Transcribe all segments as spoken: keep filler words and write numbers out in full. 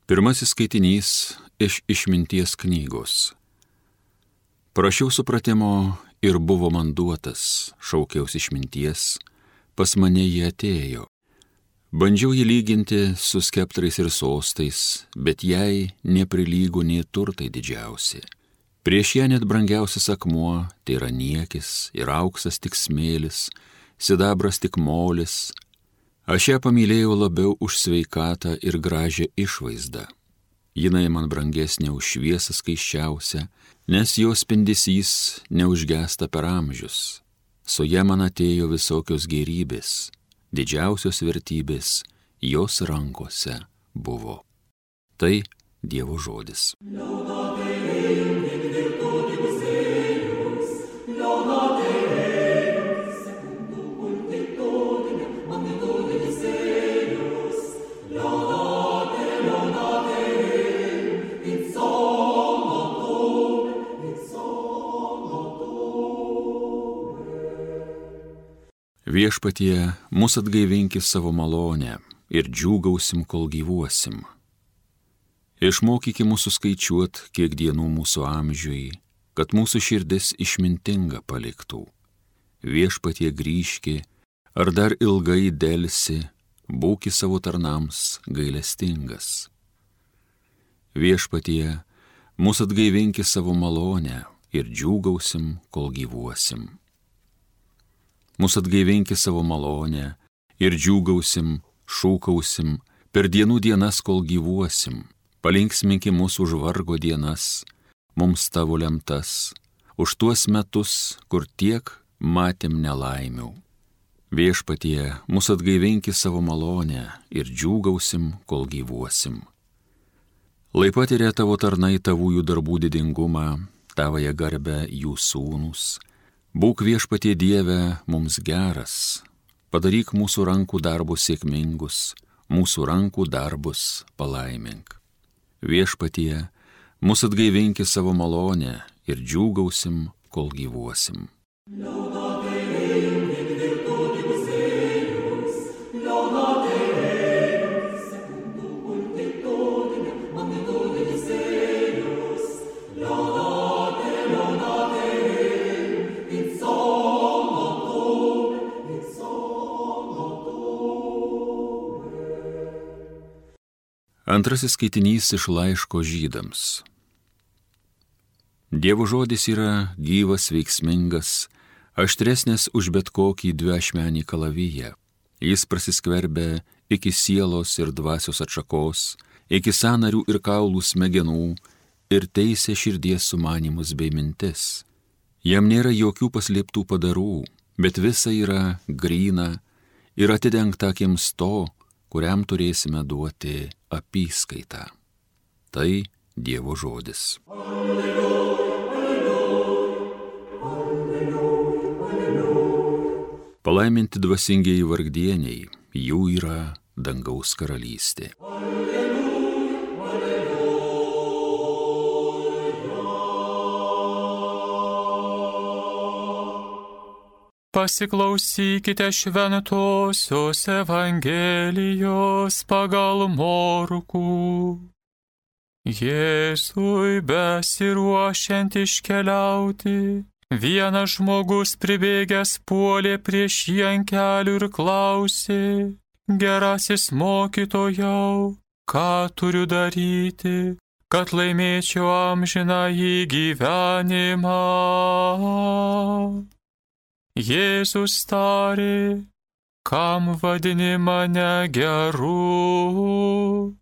Pirmasis skaitinys iš Išminties knygos. Prašiau supratimo ir buvo man duotas, šaukiausi išminties, pas mane jie atėjo. Bandžiau jį lyginti su skeptrais ir sostais, bet jai neprilygo nei turtai didžiausi. Prieš ją net brangiausias akmuo, tai yra niekis, ir auksas tik smėlis, sidabras tik molis. Aš ją pamylėjau labiau už sveikatą ir gražią išvaizdą. Jinai man brangesnė už šviesą skaisčiausią, nes jos spindesys neužgęsta per amžius. Su ja man atėjo visokios gėrybės, didžiausios vertybės jos rankose buvo. Tai Dievo žodis. Viešpatie, mus atgaivinki savo malonę ir džiūgausim, kol gyvuosim. Išmokyki mūsų skaičiuot, kiek dienų mūsų amžiui, kad mūsų širdis išmintinga paliktų. Viešpatie, grįžki, ar dar ilgai delsi, būki savo tarnams gailestingas. Viešpatie, mus atgaivinki savo malonę ir džiūgausim, kol gyvuosim. Mūsų atgaivinki savo malonę ir džiūgausim, šūkausim, per dienų dienas, kol gyvuosim. Palinksminki mūsų už vargo dienas, mums tavo lemtas, už tuos metus, kur tiek matėm nelaimių. Viešpatie, mūsų atgaivinki savo malonę ir džiūgausim, kol gyvuosim. Lai patiria tavo tarnai tavųjų darbų didingumą, tavąją garbę jų sūnus. Būk Viešpatie Dieve mums geras, padaryk mūsų rankų darbus sėkmingus, mūsų rankų darbus palaimink. Viešpatie, mus atgaivinki savo malonę ir džiūgausim, kol gyvuosim. Antrasis skaitinys iš laiško Žydams. Dievo žodis yra gyvas, veiksmingas, aštresnis už bet kokį dviašmenį kalaviją. Jis prasiskverbia iki sielos ir dvasios atšakos, iki sąnarių ir kaulų smegenų ir teisia širdies sumanymus bei mintis. Jam nėra jokių paslėptų padarų, bet visa yra gryna ir atidengta akims to, kuriam turėsime duoti apyskaitą. Tai Dievo žodis. Alleluja, alleluja, alleluja, alleluja. Palaiminti dvasingieji vargdieniai, jų yra dangaus karalystė. Alleluja, alleluja. Pasiklausykite šventosios Evangelijos pagal Morkų. Jėzui besiruošiant iškeliauti, vienas žmogus pribėgęs puolė prieš jį ant kelių ir klausė: Gerasis mokytojau, ką turiu daryti, kad laimėčiau amžinąjį gyvenimą? Jėzus tarė: kam vadini mane geru?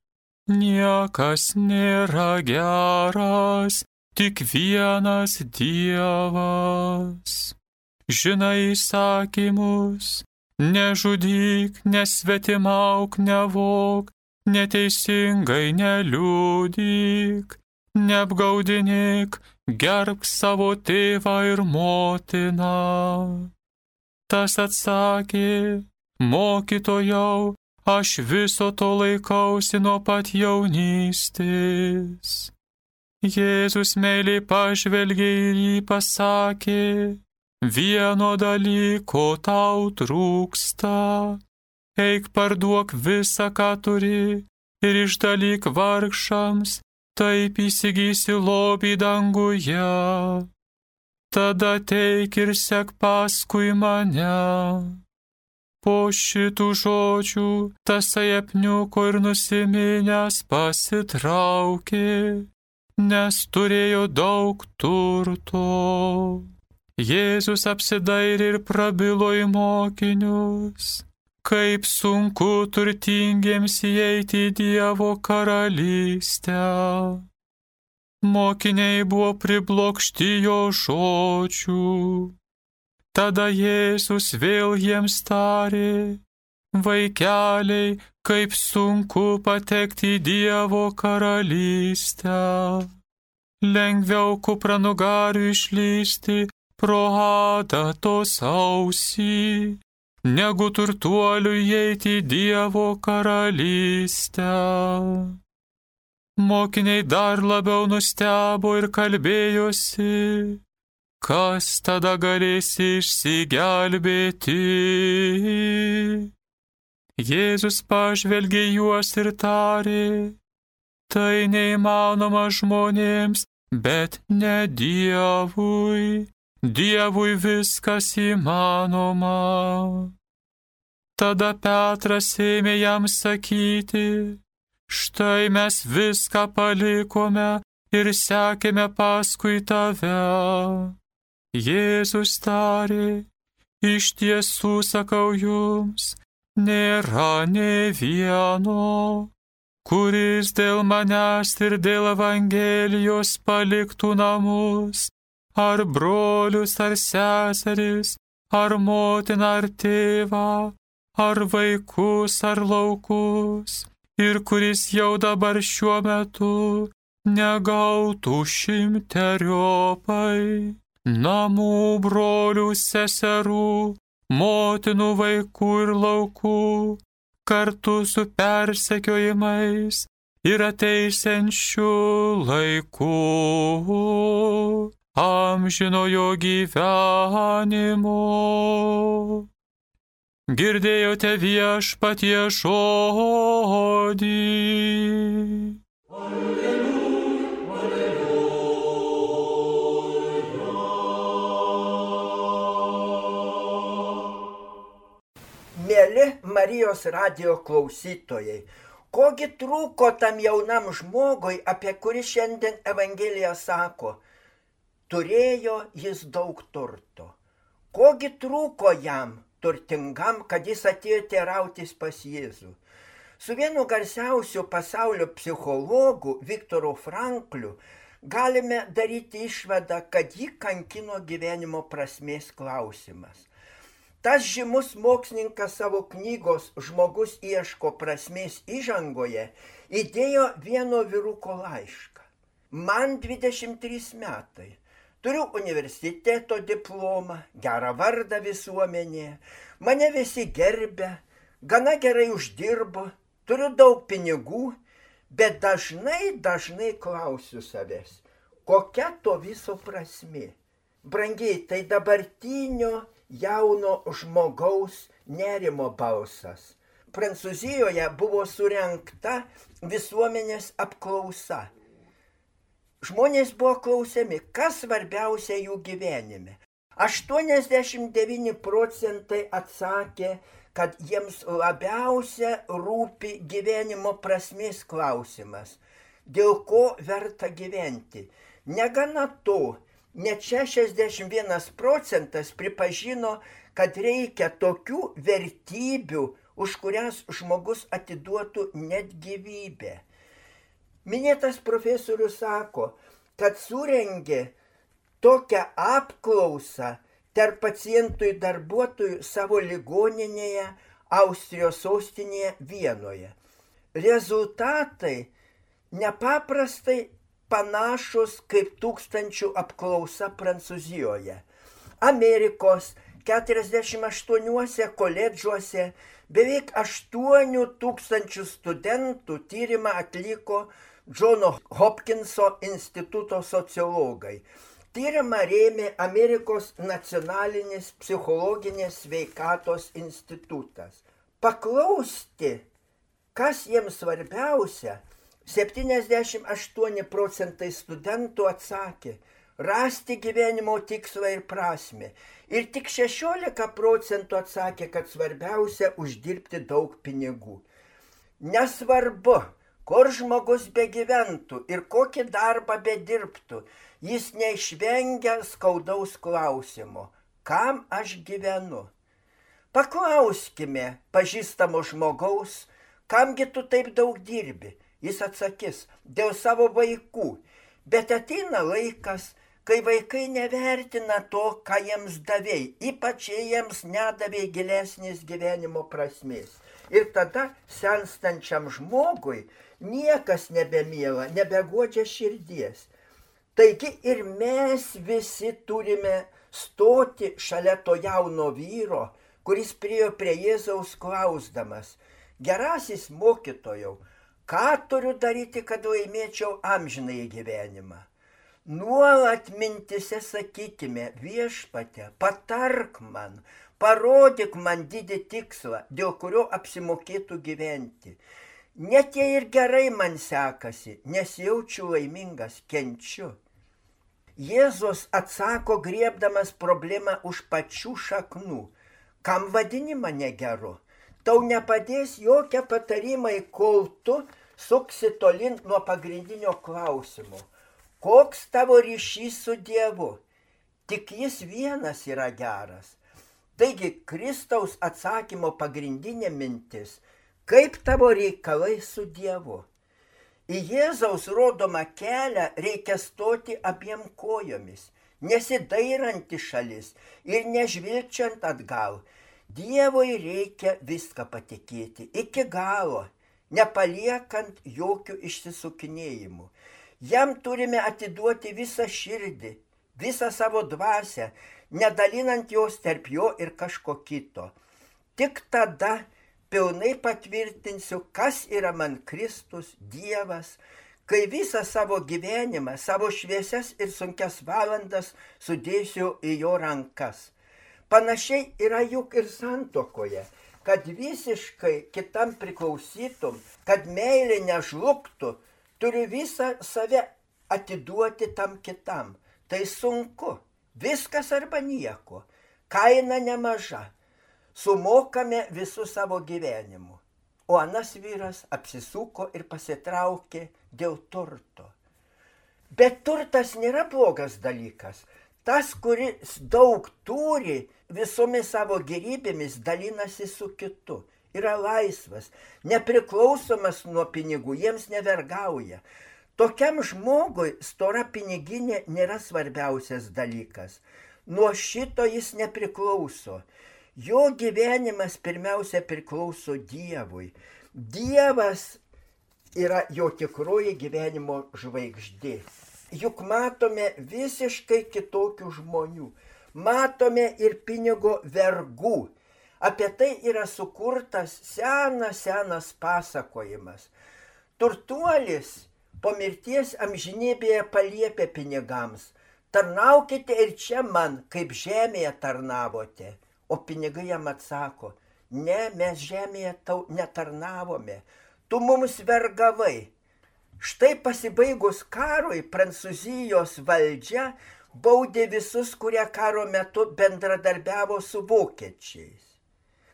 Niekas nėra geras, tik vienas Dievas. Žinai įsakymus: nežudyk, nesvetimauk, nevok, neteisingai neliudyk, neapgaudinėk, gerbk savo tėvą ir motiną. Tas atsakė: mokytojau, aš viso to laikausi nuo pat jaunystės. Jėzus meiliai pažvelgė ir jį pasakė: vieno dalyko tau trūksta. Eik parduok visą, ką turi, ir išdalyk vargšams, taip įsigysi lobį danguje. Tada teik ir sek paskui mane. Po šitų žodžių tasai apniuko ir nusiminęs pasitraukė, nes turėjo daug turto. Jėzus apsidairė ir prabilo į mokinius, kaip sunku turtingiems įeiti į Dievo karalystę. Mokiniai buvo priblokšti jo žodžių. Tada Jėzus vėl jiems tarė: vaikeliai, kaip sunku patekti į Dievo karalystę. Lengviau kupranugariui išlysti pro adatos ausį, negu turtuoliui įeiti į Dievo karalystę. Mokiniai dar labiau nustebo ir kalbėjosi: kas tada galės išsigelbėti? Jėzus pažvelgė juos ir tarė: tai neįmanoma žmonėms, bet ne Dievui. Dievui viskas įmanoma. Tada Petras ėmė jam sakyti: štai mes viską palikome ir sekėme paskui tave. Jėzus tarė: iš tiesų sakau jums, nėra nė vieno, kuris dėl manęs ir dėl Evangelijos paliktų namus, ar brolius, ar seseris, ar motiną, ar tėvą, ar vaikus, ar laukus, ir kuris jau dabar šiuo metu negautų šimteriopai namų, brolių, seserų, motinų, vaikų ir laukų, kartu su persekiojimais ir ateisiančiu laiku amžinojo gyvenimo. Girdėjote Viešpatie žodį. Mėly Marijos radijo klausytojai, kogi trūko tam jaunam žmogui, apie kurį šiandien Evangelija sako: turėjo jis daug turto. Kogi trūko jam, turtingam, kad jis atėjo teirautis pas Jėzų? Su vienu garsiausių pasaulio psichologų, Viktoru Frankliu, galime daryti išvadą, kad jį kankino gyvenimo prasmės klausimas. Tas žymus mokslininkas savo knygos Žmogus ieško prasmės įžangoje įdėjo vieno vyruko laišką. Man dvidešimt trys metai. Turiu universiteto diplomą, gerą vardą visuomenėje, mane visi gerbia, gana gerai uždirbu, turiu daug pinigų, bet dažnai, dažnai klausiu savęs, kokia to viso prasmė. Brangiai, tai dabartinio jauno žmogaus nerimo balsas. Prancūzijoje buvo surengta visuomenės apklausa. Žmonės buvo klausiami, kas svarbiausia jų gyvenime. aštuoniasdešimt devyni procentai atsakė, kad jiems labiausia rūpi gyvenimo prasmės klausimas. Dėl ko verta gyventi? Negana to, net šešiasdešimt vienas procentas pripažino, kad reikia tokių vertybių, už kurias žmogus atiduotų net gyvybę. Minėtas profesorius sako, kad surengė tokią apklausą tarp pacientų ir darbuotojų savo ligoninėje Austrijos sostinėje Vienoje. Rezultatai nepaprastai panašus kaip tūkstančių apklausa Prancūzijoje. Amerikos keturiasdešimt aštuoniuose koledžuose beveik aštuonių tūkstančių studentų tyrimą atliko Džono Hopkinso instituto sociologai. Tyrimą rėmė Amerikos nacionalinis psichologinės sveikatos institutas. Paklausti, kas jiems svarbiausia, septyniasdešimt aštuoni procentai studentų atsakė rasti gyvenimo tikslą ir prasmę. Ir tik šešiolika procentų atsakė, kad svarbiausia uždirbti daug pinigų. Nesvarbu, kur žmogus begyventų ir kokį darbą bedirbtų, jis neišvengia skaudaus klausimo, kam aš gyvenu. Paklauskime pažįstamo žmogaus, kamgi tu taip daug dirbi. Jis atsakys, dėl savo vaikų, bet ateina laikas, kai vaikai nevertina to, ką jiems davėjai, ypač jiems nedavėjai gilesnės gyvenimo prasmės. Ir tada senstančiam žmogui niekas nebemyla, nebeguodžia širdies. Taigi ir mes visi turime stoti šalia to jauno vyro, kuris priėjo prie Jėzaus klausdamas, gerasis mokytojau, ką turiu daryti, kad laimėčiau amžinąjį gyvenimą? Nuolat mintise sakykime, viešpatie, patark man, parodyk man didį tikslą, dėl kurio apsimokėtų gyventi. Net jei ir gerai man sekasi, nesijaučiu laimingas, kenčiu. Jėzus atsako griebdamas problemą už pačių šaknų. Kam vadini mane geru? Tau nepadės jokie patarimai, kol tu suksi tolin nuo pagrindinio klausimo. Koks tavo ryšys su Dievu? Tik jis vienas yra geras. Taigi Kristaus atsakymo pagrindinė mintis, kaip tavo reikalai su Dievu. Į Jėzaus rodomą kelią reikia stoti abiem kojomis, nesidairant į šalis ir nežvilgčiant atgal. Dievui reikia viską patikėti iki galo, nepaliekant jokių išsisukinėjimų. Jam turime atiduoti visą širdį, visą savo dvasią, nedalinant jos tarp jo ir kažko kito. Tik tada pilnai patvirtinsiu, kas yra man Kristus, Dievas, kai visą savo gyvenimą, savo šviesias ir sunkias valandas sudėsiu į jo rankas. Panašiai yra juk ir santuokoje, kad visiškai kitam priklausytum, kad meilė nežlugtų, turi visą save atiduoti tam kitam. Tai sunku, viskas arba nieko, kaina nemaža, sumokame visų savo gyvenimu. O anas vyras apsisuko ir pasitraukė dėl turto. Bet turtas nėra blogas dalykas. Tas, kuris daug turi, visomis savo gerybėmis dalinasi su kitu. Yra laisvas, nepriklausomas nuo pinigų, jiems nevergauja. Tokiam žmogui stora piniginė nėra svarbiausias dalykas. Nuo šito jis nepriklauso. Jo gyvenimas pirmiausia priklauso Dievui. Dievas yra jo tikroji gyvenimo žvaigždė. Juk matome visiškai kitokių žmonių. Matome ir pinigo vergų. Apie tai yra sukurtas senas, senas pasakojimas. Turtuolis po mirties amžinybėje paliepė pinigams. Tarnaukite ir čia man, kaip žemėje tarnavote. O pinigai jam atsako, ne, mes žemėje tau netarnavome. Tu mums vergavai. Štai pasibaigus karui Prancūzijos valdžia baudė visus, kurie karo metu bendradarbiavo su vokiečiais.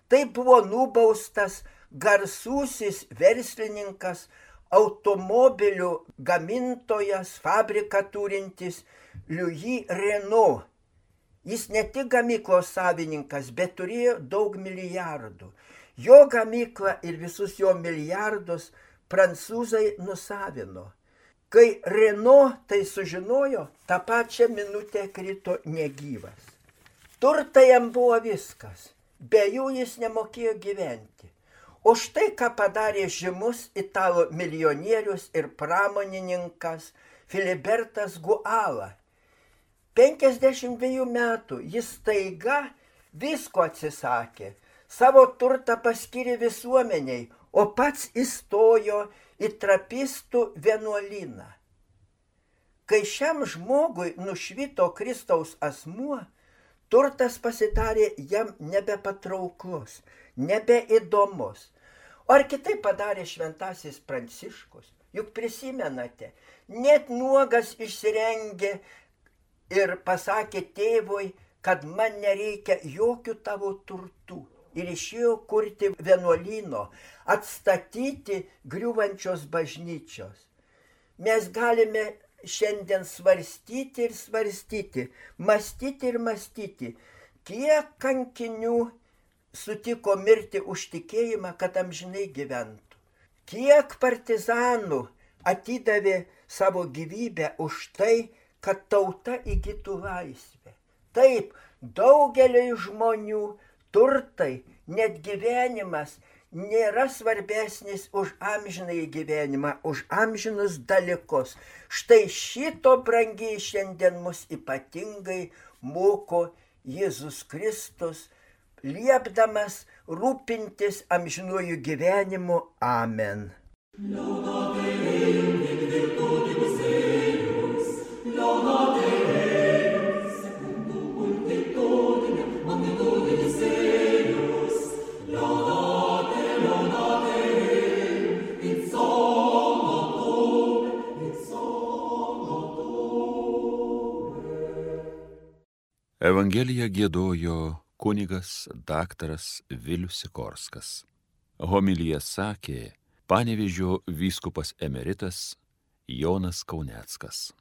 Tai buvo nubaustas garsusis verslininkas, automobilių gamintojas, fabriką turintis Louis Renault. Jis ne tik gamyklos savininkas, bet turėjo daug milijardų. Jo gamyklą ir visus jo milijardus prancūzai nusavino. Kai Renault tai sužinojo, tą pačią minutę krito negyvas. Turtai jam buvo viskas. Be jų jis nemokėjo gyventi. O štai ką padarė žymus italų milijonierius ir pramonininkas Filibertas Guala. penkiasdešimt dviejų metų jis staiga visko atsisakė, savo turtą paskyrė visuomeniai, o pats įstojo į trapistų vienuolyną. Kai šiam žmogui nušvito Kristaus asmuo, turtas pasidarė jam nebepatrauklus, nebeįdomus. Ar kitaip padarė šventasis Pranciškus? Juk prisimenate, net nuogas išsirengė ir pasakė tėvui, kad man nereikia jokių tavo turtų. Ir išėjo kurti vienuolyno, atstatyti griūvančios bažnyčios. Mes galime šiandien svarstyti ir svarstyti, mąstyti ir mąstyti, kiek kankinių sutiko mirti už tikėjimą, kad amžinai gyventų. Kiek partizanų atidavė savo gyvybę už tai, kad tauta įgytų laisvę. Taip, daugeliui žmonių turtai, net gyvenimas nėra svarbesnis už amžinąjį gyvenimą, už amžinus dalykus. Štai šito brangiai šiandien mus ypatingai moko Jėzus Kristus, liepdamas rūpintis amžinuoju gyvenimu. Amen. Evangeliją giedojo kunigas daktaras Vilius Sikorskas. Homiliją sakė Panevėžio vyskupas emeritas Jonas Kauneckas.